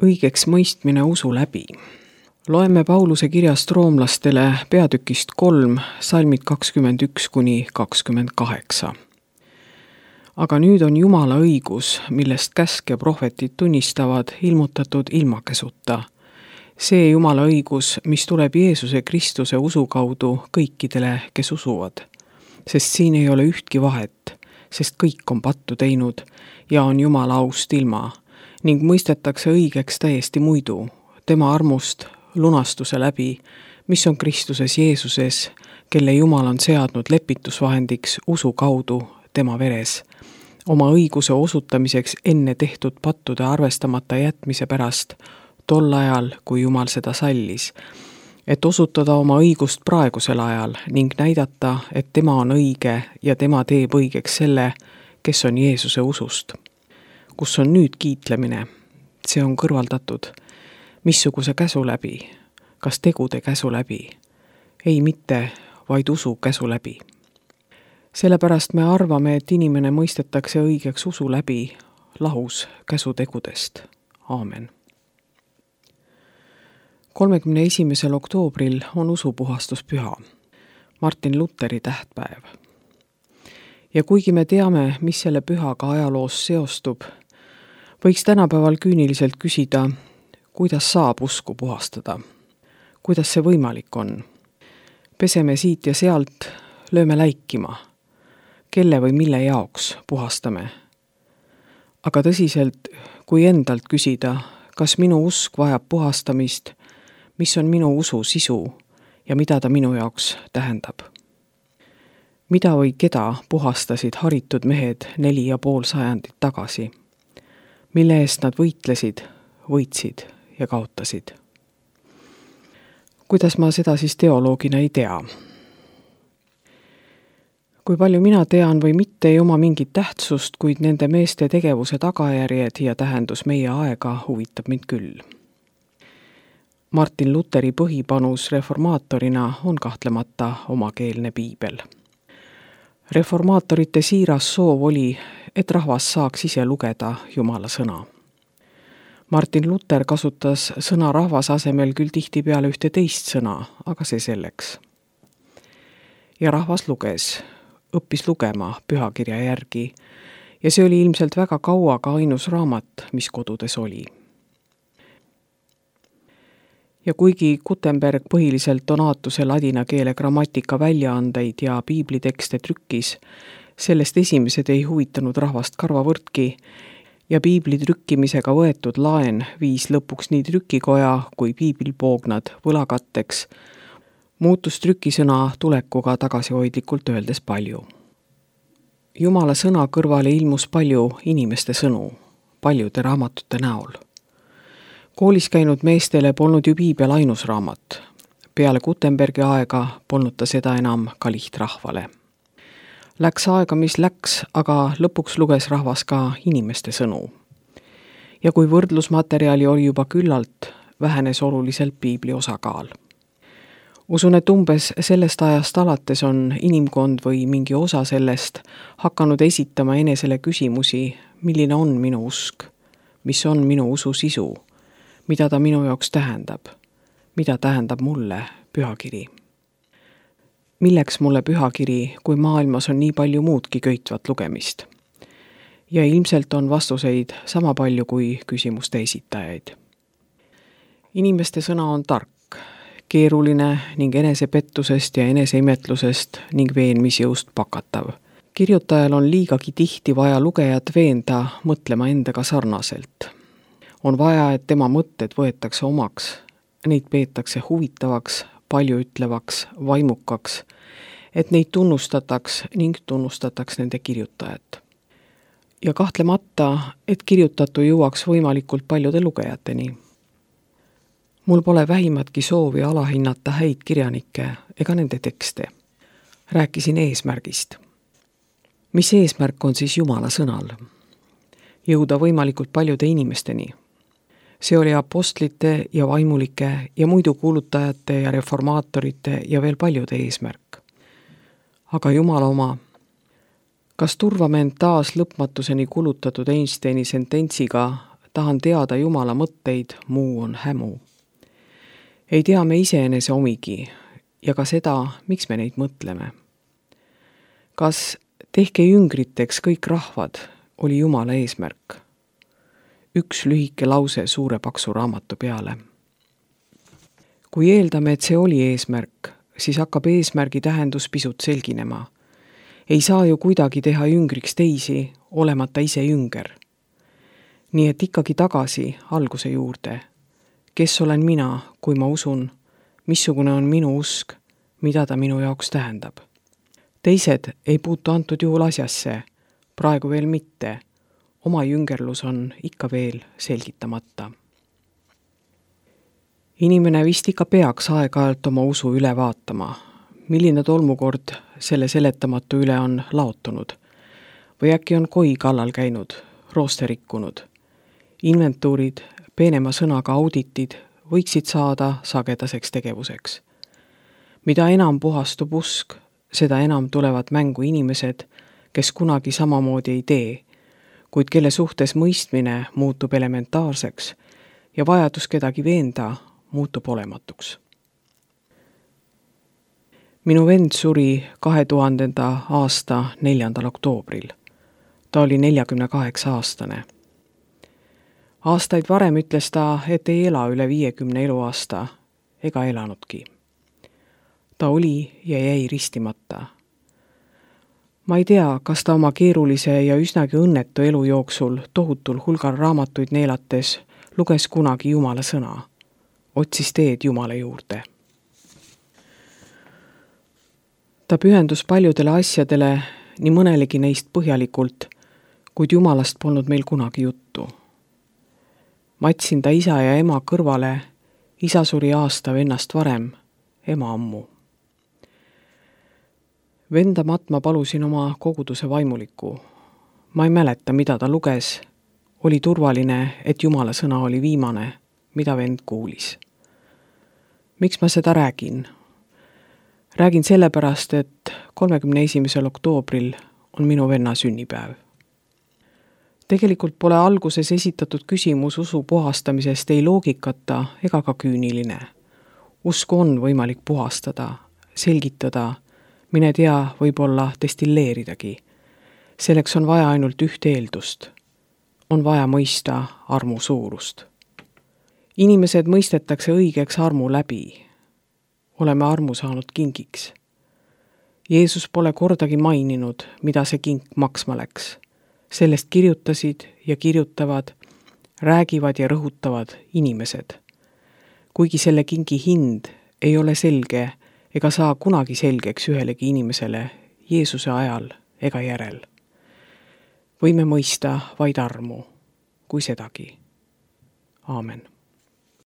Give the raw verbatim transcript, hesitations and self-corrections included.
õigeks mõistmine usu läbi. Loeme Pauluse kirjast roomlastele peatükist kolm, salmid kakskümmend üks kuni kakskümmend kaheksa. Aga nüüd on Jumala õigus, millest käsk ja prohvetid tunnistavad, ilmutatud ilmakesuta. See Jumala õigus, mis tuleb Jeesuse Kristuse usu kaudu kõikidele, kes usuvad. Sest siin ei ole ühtki vahet, sest kõik on pattu teinud ja on Jumala aust ilma ning mõistetakse õigeks täiesti muidu, tema armust lunastuse läbi, mis on Kristuses Jeesuses, kelle Jumal on seadnud lepitusvahendiks usu kaudu tema veres, oma õiguse osutamiseks enne tehtud pattude arvestamata jätmise pärast, tol ajal, kui Jumal seda sallis, et osutada oma õigust praegusel ajal ning näidata, et tema on õige ja tema teeb õigeks selle, kes on Jeesuse usust. Kus on nüüd kiitlemine? See on kõrvaldatud. Missuguse käsu läbi? Kas tegude käsu läbi? Ei mitte, vaid usu käsu läbi. Sellepärast me arvame, et inimene mõistetakse õigeks usu läbi, lahus käsutegudest. Aamen. kolmekümne esimesel oktoobril on usupuhastuspüha, Martin Luteri tähtpäev. Ja kuigi me teame, mis selle pühaga ajaloos seostub, võiks tänapäeval küüniliselt küsida, kuidas saab usku puhastada? Kuidas see võimalik on? Peseme siit ja sealt, lööme läikima. Kelle või mille jaoks puhastame? Aga tõsiselt, kui endalt küsida, kas minu usk vajab puhastamist, mis on minu usu sisu ja mida ta minu jaoks tähendab? Mida või keda puhastasid haritud mehed neli ja pool sajandit tagasi? Mille eest nad võitlesid, võitsid ja kaotasid? Kuidas ma seda siis teoloogina ei tea? Kui palju mina tean või mitte, ei oma mingit tähtsust, kuid nende meeste tegevuse tagajärjed ja tähendus meie aega huvitab mind küll. Martin Luteri põhipanus reformaatorina on kahtlemata omakeelne piibel. Reformaatorite siiras soov oli, et rahvas saaks ise lugeda Jumala sõna. Martin Luther kasutas sõna rahvas asemel küll tihtipeale ühte teist sõna, aga see selleks. Ja rahvas luges, õppis lugema pühakirja järgi ja see oli ilmselt väga kaua ka ainus raamat, mis kodudes oli. Ja kuigi Gutenberg põhiliselt Donatuse ladina keele grammatika väljaandeid ja piiblitekste trükkis, sellest esimesed ei huvitanud rahvast karvavõrdki ja piibli trükkimisega võetud laen viis lõpuks nii trükikoja kui piiblipoognad võlakatteks, muutus trükisõna tulekuga tagasihoidlikult öeldes palju. Jumala sõna kõrvale ilmus palju inimeste sõnu, paljude raamatute näol. Koolis käinud meestele polnud ju piibel ainus raamat. Peale Gutenbergi aega polnud ta seda enam ka lihtrahvale. Läks aega, mis läks, aga lõpuks luges rahvas ka inimeste sõnu. Ja kui võrdlusmaterjali oli juba küllalt, vähenes oluliselt piibli osakaal. Usun, et umbes sellest ajast alates on inimkond või mingi osa sellest hakanud esitama enesele küsimusi, milline on minu usk, mis on minu usu sisu, mida ta minu jaoks tähendab, mida tähendab mulle pühakiri. Milleks mulle pühakiri, kui maailmas on nii palju muudki köitvat lugemist? Ja ilmselt on vastuseid sama palju kui küsimuste esitajaid. Inimeste sõna on tark, keeruline ning enesepettusest ja eneseimetlusest ning veenmisjõust pakatav. Kirjutajal on liigagi tihti vaja lugejat veenda mõtlema endaga sarnaselt. On vaja, et tema mõtted võetakse omaks, neid peetakse huvitavaks, paljuütlevaks, vaimukaks, et neid tunnustataks ning tunnustataks nende kirjutajat. Ja kahtlemata, et kirjutatu jõuaks võimalikult paljude lugejateni. Mul pole vähimatki soovi alahinnata häid kirjanikke ega nende tekste. Rääkisin eesmärgist. Mis eesmärk on siis Jumala sõnal? Jõuda võimalikult paljude inimesteni. See oli apostlite ja vaimulike ja muidu kuulutajate ja reformaatorite ja veel paljude eesmärk. Aga Jumala oma, kas turvame end taas lõpmatuseni kulutatud Einsteini sententsiga tahan teada Jumala mõtteid, muu on hämu. Ei tea me iseenese omigi ja ka seda, miks me neid mõtleme. Kas tehke jüngriteks kõik rahvad, oli Jumala eesmärk. Üks lühike lause suure paksu raamatu peale. Kui eeldame, et see oli eesmärk, siis hakkab eesmärgi tähendus pisut selginema. Ei saa ju kuidagi teha jüngriks teisi, olemata ise jünger. Nii et ikkagi tagasi alguse juurde. Kes olen mina, kui ma usun, missugune on minu usk, mida ta minu jaoks tähendab. Teised ei puutu antud juhul asjasse, praegu veel mitte. Oma jüngerlus on ikka veel selgitamata. Inimene vist ikka peaks aeg-ajalt oma usu üle vaatama. Milline tolmukord selle seletamatu üle on laotunud? Või äkki on koi kallal käinud, rooste rikkunud? Inventuurid, peenema sõnaga auditid võiksid saada sagedaseks tegevuseks. Mida enam puhastub usk, seda enam tulevad mängu inimesed, kes kunagi samamoodi ei tee, kuid kelle suhtes mõistmine muutub elementaarseks ja vajadus kedagi veenda muutub olematuks. Minu vend suri kahe tuhandenda aasta neljandal oktoobril. Ta oli neljakümne kaheksa aastane. Aastaid varem ütles ta, et ei ela üle viiekümne eluaasta, ega elanudki. Ta oli ja jäi ristimata. Ma ei tea, kas ta oma keerulise ja üsnagi õnnetu elu jooksul tohutul hulgal raamatuid neelates luges kunagi Jumala sõna, otsis teed Jumala juurde. Ta pühendus paljudele asjadele, nii mõnelegi neist põhjalikult, kuid Jumalast polnud meil kunagi juttu. Matsin ta isa ja ema kõrvale, isa suri aasta vennast varem, ema ammu. Venda matma palusin oma koguduse vaimuliku. Ma ei mäleta, mida ta luges. Oli turvaline, et Jumala sõna oli viimane, mida vend kuulis. Miks ma seda räägin? Räägin sellepärast, et kolmekümne esimesel oktoobril on minu venna sünnipäev. Tegelikult pole alguses esitatud küsimus usu puhastamisest ei loogikata ega ka küüniline. Usku on võimalik puhastada, selgitada, mine tea, võib-olla destilleeridagi. Selleks on vaja ainult ühte eeldust. On vaja mõista armu suurust. Inimesed mõistetakse õigeks armu läbi. Oleme armu saanud kingiks. Jeesus pole kordagi maininud, mida see kink maksma läks. Sellest kirjutasid ja kirjutavad, räägivad ja rõhutavad inimesed. Kuigi selle kingi hind ei ole selge ega saa kunagi selgeks ühelegi inimesele Jeesuse ajal ega järel. Võime mõista vaid armu, kui sedagi. Aamen.